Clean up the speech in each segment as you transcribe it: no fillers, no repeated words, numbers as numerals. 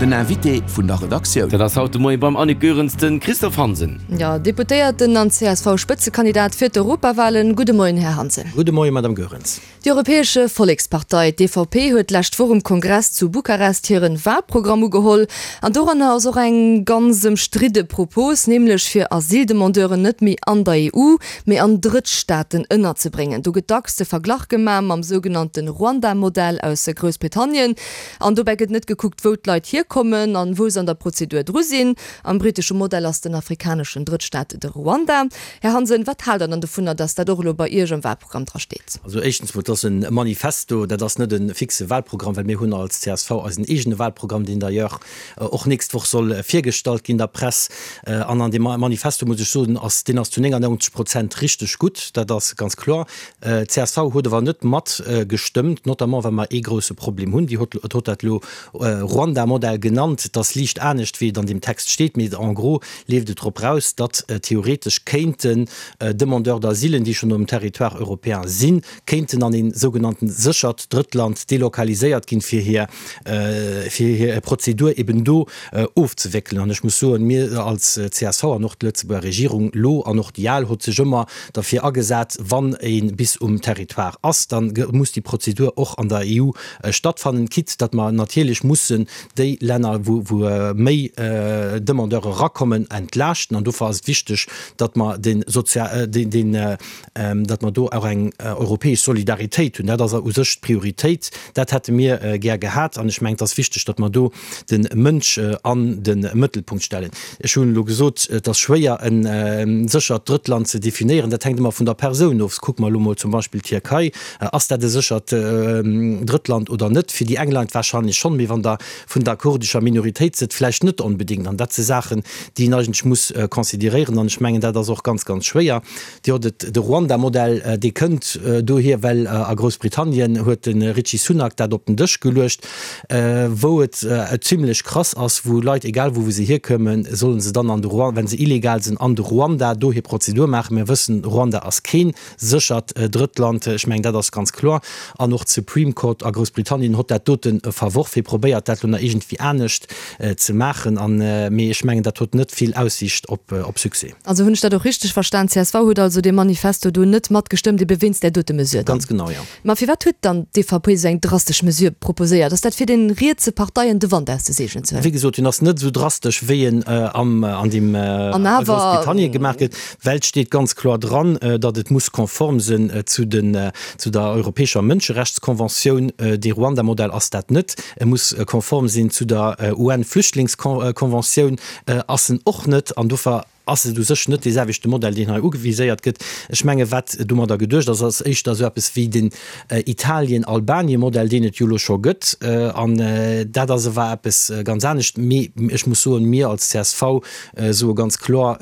Den Invité vun der Redaktioun. Dat ass haut de Moie beim Annick Goerens de Christophe Hansen. Jo, Deputéierten an CSV-Spëtzekandidat fir d'Europawalen. Gudde Moien, Här Hansen. Gudde Moien, Madame Goerens. Déi Europäesche Vollekspartei, d'EVP, huet d'lescht Woch um Kongress zu Bukarest hiren Wahlprogramm ugeholl. An doranner ass och eng ganz ëmstridde Propos, nämlech fir Asyldemandeuren net méi an der EU, mee an Drëttstaaten ënnerzebréngen. Do gëtt dacks de Verglach gemaach mam sougenannte Ruanda-Modell aus Groussbritannien. An dobäi gëtt net gekuckt, wou d'Leit hierkommen an wou se an der Prozedur dru sinn. Am britesche Modell ass den afrikaneschen Drëttstaat de Ruanda. Här Hansen, wat haalt Der dann dovunner, datt dat och elo bei Iech am Wahlprogramm dra steet? Also éischtens mol, et ass e Manifesto, dat ass net e fixe Wahlprogramm, well mir hunn als csv eisen eegene Wahlprogramm, deen d'ailleurs och nächst Woch soll virgestallt ginn der Press. An an deem Manifesto, muss ech soen, ass, deen ass zu 99 Prozent richteg gutt, dat ass ganz kloer. Csv huet awer net mat gestëmmt, notamment well mer ee grousse Problem hunn. Dir hutt hutt dat elo Ruanda-Modell genannt. Et ass liicht anescht, wéi et an deem Text steet, mee en gros leeft et drop raus, datt theoretesch kéinten Demandeurs d'asilen, déi schonn um Territoire européen sinn, kéinten an ee sougenannten séchert Drëttland delokaliséiert ginn, fir hir fir hir Prozedur eben do ofzewéckelen. An ech muss soen, mir als csv an och d'Lëtzebuerger Regierung elo an och déi al huet sech ëmmer derfir agesat, wann ee bis um Territoire ass, da muss déi Prozedur och an der EU stattfannen, quitte datt mer natierlech mussen déi Länner, wou méi Demandeure erakommen, entlaaschten. An dofir ass et wichteg, datt mer den, datt mer do och eng europäesch Solidaritéit hunn. Dat ass u sech d'Prioritéit. Dat hätte mir gär gehat. An ech mengen, et ass wichteg, datt mer do de Mënsch an de Mëttelpunkt stellen. Ech hunn elo gesot, et ass schwéier, e séchert Drëttland ze definéieren. Dat hänkt ëmmer vun der Persoun of. Kucke mer elo mol zum Beispill d'Tierkei. Ass dat e séchert Drëttland oder net? Fir déi eng Leit warscheinlech schonn, mee wann der vun der kurdescher Minoritéit sidd, vläicht net onbedéngt. An dat si Saachen, déi een eigentlech muss consideréieren. An ech mengen, dat ass och ganz, ganz schwéier. Dir hutt et, de Ruanda-Modell, dee kënnt dohier, well a Groussbritannien huet de Rishi Sunak dat op den Dësch geluecht, wou et zimlech krass ass, wou Leit, egal wou se hierkommen, solle se dann an de Ruanda, wa se illegal sinn, an de Ruanda do hir Prozedur maachen. Mir wëssen, Ruanda ass kee séchert Drëttland, ech mengen, dat ass ganz kloer. An och d'Supreme Court a Groussbritannien hott dat dote verworf. Hie probéiert dat elo nach iergendwéi anescht ze maachen, mee ech mengen, dat hott net vill Aussiicht op Succès. Also hunn ech dat och richteg verstan, csv huet also dee Manifesto do net matgestëmmt, ebe wéinst där dote Mesure dann? Ganz genau, jo. Ma firwat huet dann d'EVP esou eng drastesch Mesure proposéiert? Ass dat fir den rietse Parteien de Wand aus de Seegelen ze huelen? Wéi gesot, en ass net esou drastesch wéi en am an deem An a awer. Groussbritannien gemaach gëtt, well et steet ganz kloer dran, datt et muss konform sinn zu den zu der europäescher Mënscherechtskonventioun. Dee Ruanda-Modell ass dat net. E muss konform sinn zu der UN-Flüchtlingskonventioun. Ass en och net, an dofir ass et u sech net dee selwechte Modell, deen hei ugeviséiert gëtt. Ech menge wat domadder geduecht ass, ass éischter esou eppes wéi den Italien-Albanien-Modell, deen et jo elo scho gëtt. An dat ass ewer eppes ganz anescht. Mee ech muss soen, mir als csv soe ganz kloer,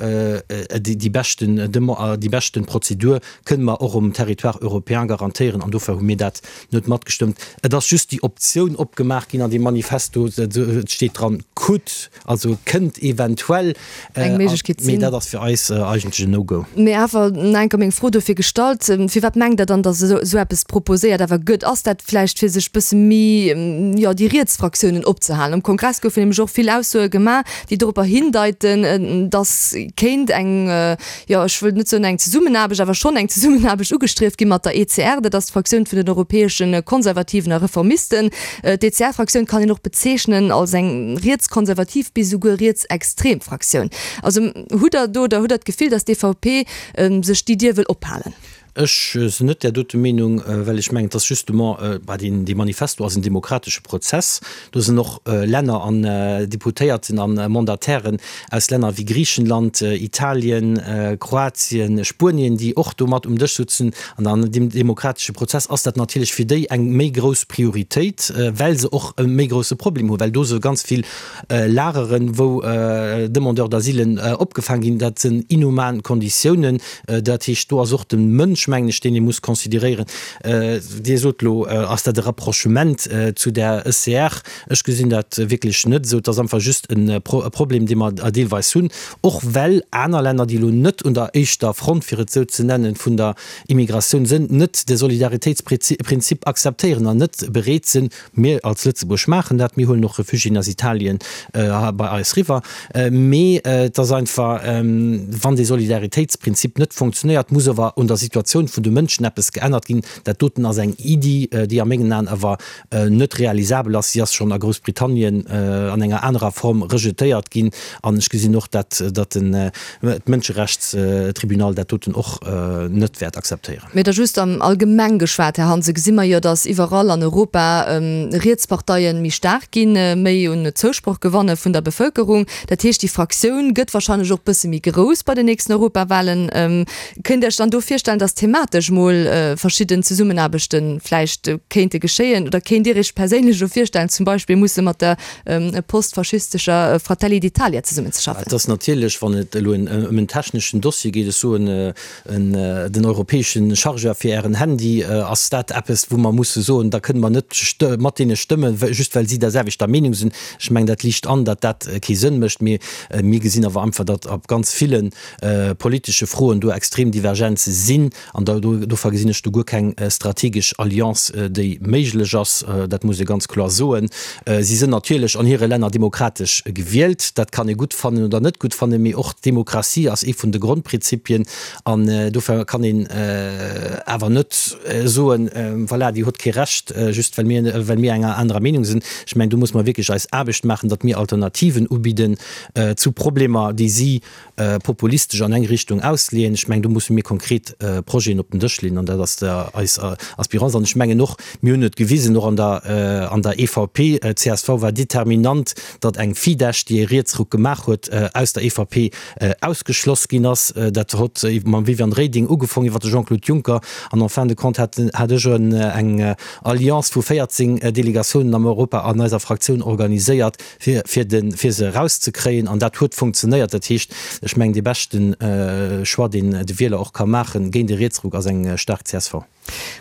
déi beschten, déi beschten Prozedur kënne mer och um Territoire européen garantéieren an dofir hu mir dat net matgestëmmt. Et ass just déi Optioun opgemaach ginn an deem Manifesto, et steet dran could, also kënnt eventuell, Eng Méiglechkeet mee sinn. dat ass fir eis eigentlech en No-Go. Mee awer nach eng Kéier meng Fro dofir gestallt, Firwat mengt Der dann, datt esou esou eppes proposéiert awer gëtt? Ass dat vläicht fir sech bësse méi, jo, déi riets Fraktiounen opzehalen? Um Kongress goufen nämlech och vill Aussoe gemaach, déi doropper hindeiten, datt kéint eng, jo, ech wëll net soen eng Zesummenaarbecht, awer schonn eng Zesummenaarbecht ugestrieft gi mat der ECR, dat ass d'Fraktioun vun den europäesche Konservativen a Reformisten. D'ECR-Fraktioun kann een och bezeechnen als eng rietskonservativ bis esouguer rietsextrem Fraktioun. Also hutt Der do oder hutt Der d'Gefill, datt d'EVP sech déi Dier wëll ophalen? Ech sinn net där dote Meenung, well ech mengen, dass justement, bah, deen, dee Manifesto ass en demokratesche Prozess. Do sinn och Länner an Deputéierten a Mandatairen aus Länner wéi Griichenland, Italien, Kroatien, Spuenien, déi och do mat um Dësch sutzen. An an deem demokratesche Prozess ass dat natierlech fir déi eng méi grouss Prioritéit, well se och e méi grousse Problem hunn, well do se ganz vill Lageren, wou Demandeurs d'asilen opgefaang ginn. Dat sinn inhuman Konditiounen. Dat heescht, do ass och de Mënsch. Mënsch, mengen ech, deen ee muss consideréieren. Dir sot elo, ass dat e Rapprochement zu der ECR? Ech gesinn dat wierklech net esou. Et ass einfach just e Problem, dee mer deelweis hunn, och well aner Länner, déi elo net un der éischter Front, fir et esou ze nennen, vun der Immigratioun sinn, net de Solidaritéitsprinzip akzeptéieren an net bereet sinn, Mir als Lëtzebuerg maachen dat, mir huelen och Refugiéen aus Italien bei eis riwwer, mee et ass einfach, wann dee Solidaritéitsprinzip net funktionéiert, muss awer un der Situatioun vun de Mënschen eppes geännert ginn. Dat doten ass eng Iddi, déi a mengen Aen awer net realisabel ass. Si ass schonn a Groussbritannien an enger anerer Form rejetéiert ginn an ech gesinn och, dat datt den d'Mënscherechtstribunal dat doten och net wäert akzeptéieren. Mee da just am Allgemeng geschwat, Här Hansen, gesi mer jo, datt iwwerall an Europa Rietsparteien méi staark ginn, méi un Zousproch gewanne vun der Bevëlkerung. Dat heescht, déi Fraktioun gëtt wahrscheinlech och bësse méi grouss bei den nächsten Europawahlen. Kënnt Dir Iech dann do virstellen, datt thematesch mol verschidden Zesummenaarbechte vläicht kéinte geschéien? Oder kéint Dir Iech perséinlech elo virstellen, zum Beispill musse mat der postfaschistescher Fratelli d'Italia zesummenzeschaffen? Et ass natierlech, wann et elo ëm en techneschen Dossier geet, ech soen, den europäesche Chargeur fir Ären Handy, ass dat eppes, wou mer musse soen, da kënne mer net mat deene stëmmen, just well si der selwechter Meenung sinn. Ech mengen, dat liicht an, datt dat kee Sënn mécht. Mee mir gesinn awer einfach, datt op ganz ville politesche Froen do extrem Divergenze sinn. An dofir gesinn ech do guer keng strategesch Alliance, déi méiglech ass. Dat muss ee ganz kloer soen. Si sinn natierlech an hire Länner demokratesch gewielt. Dat kann ee gutt fannen oder net gutt fannen, mee och d'Demokratie ass ee vun de Grondprinzipien. An dofir kann een awer net soen, voilà, déi huet kee Recht, just well mir, well mir enger anerer Meenung sinn. Ech mengen, do muss mer wierklech eis Aarbecht maachen, datt mir Alternativen ubidden zu Problemer, déi si populistesch an eng Richtung ausleeën. Ech mengen, do musse mir konkret Projeten op den Dësch leeën an dat ass eis Aspirance. An ech mengen och, mir hunn et gewisen, och an der an der EVP, csv war determinant, datt eng Fidesz, déi e Rietsruck gemaach huet, aus der EVP ausgeschloss ginn ass. Dat hott mam Viviane Reding ugefong iwwer de Jean-Claude Juncker an en fin de compte hat hat ech eng Alliance vu 14 Delegatiounen am Europa an eiser Fraktioun organiséiert, fir, fir de, fir se erauszekréien. An dat huet funktionéiert. Dat heescht, ech mengen, dee beschte Choix, deen de Wieler och ka maachen géint e Rietsruck, ass eng staark csv.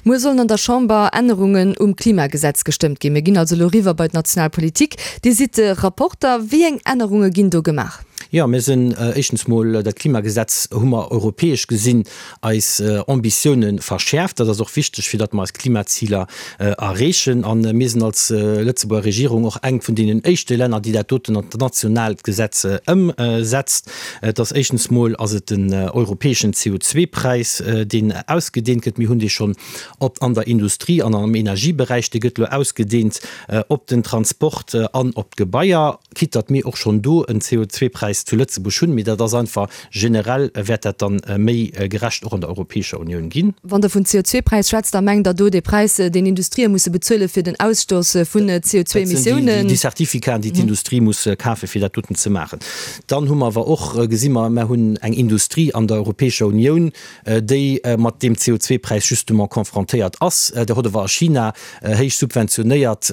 Muer sollen an der Chamber Ännerungen um Klimagesetz gestëmmt ginn. Mir ginn also elo eriwwer bei d'national Politik. Dir sidd de Rapporter. Wéi eng Ännerunge ginn do gemaach? Jo, mir sinn éischtens mol, dat Klimagesetz hu mer europäesch gesinn eis Ambitioune verschäerft. Dat ass och wichteg, fir datt mer eis Klimaziler erreechen. A mir sinn als Lëtzebuerger Regierung och eng vun deenen éischte Länner, déi dat doten an d'nationaalt Gesetz ëmsetzt. Et ass éischtens mol ass et den europäeschen CO2-Präis, deen ausgedeent gëtt. Mir hunn dee schonn op an der Industrie an am Energieberäich. Dee gëtt elo ausgedeent op den Transport an op d'Gebaier. Quitte datt mir och schonn do en CO2-Präis zu Lëtzebuerg hunn, mee dat ass einfach generell wäert dat dann méi gerecht och an der Europäescher Unioun ginn. Wann Der vun CO2-Präis schwätzt, da mengt Der do dee Präis, deen Industrië musse bezuele fir den Ausstoss vun CO2-Emissiounen? Dat sinn déi Certificaten, déi d'Industrie muss kafen, fir dat doten ze maachen. Dann hu mer awer och, gesi mer, mer hunn eng Industrie an der Europäescher Unioun, déi mat deem CO2-Präis justement confrontéiert ass. Der hutt awer a China héich subventionéiert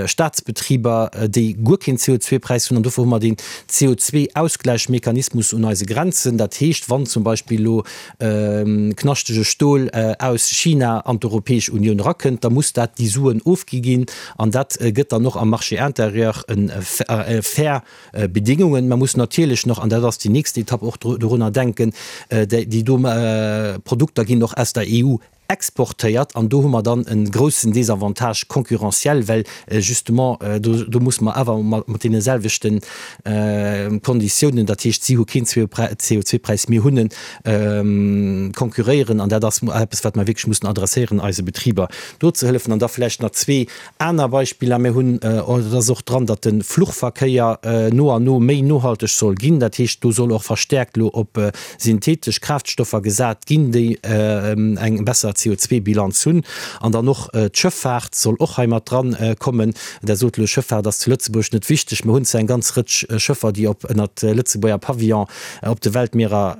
Staatsbetriber, déi guer keen CO2-Präis hunn. An dofir hu mer deen CO2-Ausgläichmechanismus un eise Grenzen. Dat heescht, wann zum Beispill elo knaschtege Stol aus China an d'Europäesch Unioun erakënnt, da muss dat déi Suen ofgi ginn. An dat gëtt dann och am Marché intérieur e fair Bedingungen. Mer mussen natierlech nach, an dat ass déi nächst Etapp, och dorunner denken, déi do Produkter ginn och aus der EU exportéiert an do hu mer dann e groussen Désavantage concurrentiel, well justement do musse mer awer mat deene selwechte Konditiounen, dat heescht si hu keen CO2-Präis, mir hunn en, konkurréieren. An dat ass eppes, wat mer wierklech mussen adresséieren, eise Betriber do ze hëllefen. An da vläicht nach zwee Aner Beispiller, Mir hunn, et ass och dran, datt de Fluchverkéier no an no méi nohalteg soll ginn. Dat heescht, do soll och verstäerkt elo op synthetesch Kraaftstoffer gesat ginn, déi eng besser. CO2-Bilanz hunn. An dann och d'Schëffaart soll och hei mat dran kommen. Der sot elo, Schëffaart ass zu Lëtzebuerg net wichteg. Mer hunn zwar eng ganz Rëtsch Schëffer, déi op ënnert Lëtzebuerger Pavillon op de Weltmierer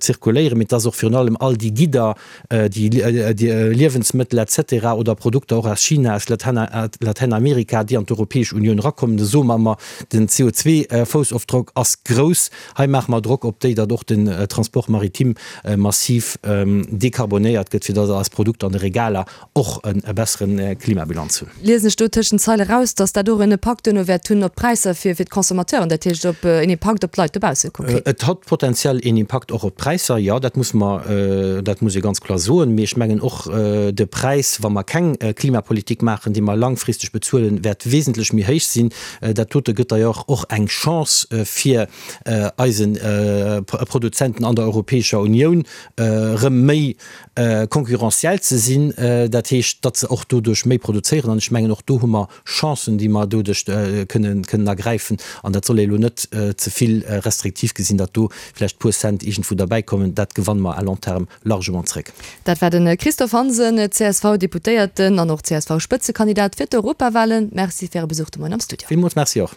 zirkuléieren, mee et ass och virun allem all déi Gidder, déi Liewensmëttel et cetera oder Produkter och aus China, aus Latäinamerika, déi an d'Europäesch Unioun erakommen. Do soe mer ëmmer, den CO2-Foussofdrock ass grouss. Hei maache mer Drock op déi, datt och den Transport maritime massiv dekarbonéiert gëtt, fir datt eis Produkter an de Regaler och e bessere Klimabilanz hunn. Liesen ech do tëschent d'Zeile raus, datt dat och en Impakt duerno wäert hunn op d'Präisser fir d'Consommateuren, dat heescht op en Impakt op d'Leit dobausse konkret? Et hat potenziell een Impakt och op d'Präisser, jo, dat muss mer, dat muss ee ganz kloer soen. Mee ech mengen och de Präis, wa mer keng Klimapolitik maachen, dee mer langfristeg bezuelen, wäert wesentlech méi héich sinn. Dat dote gëtt d'ailleurs och eng Chance fir eise Produzenten an der Europäescher Unioun, erëm méi concurrentiel ze sinn, dat heescht, datt se och doduerch méi produzéieren. An ech mengen, och do hu mer Chancen, déi mer doduerch kënnen ergräifen. An dat soll ee elo net ze vill restriktiv gesinn, datt do vläicht puer Cent iergendwou derbäikommen. Dat gewanne mer à long terme largement zréck. Dat war de Christophe Hansen, CSV-Deputéierten an och CSV-Spëtzekandidat fir d'Europawahlen. Merci fir Äre Besuch de Moien am Studio. Villmools Merci och.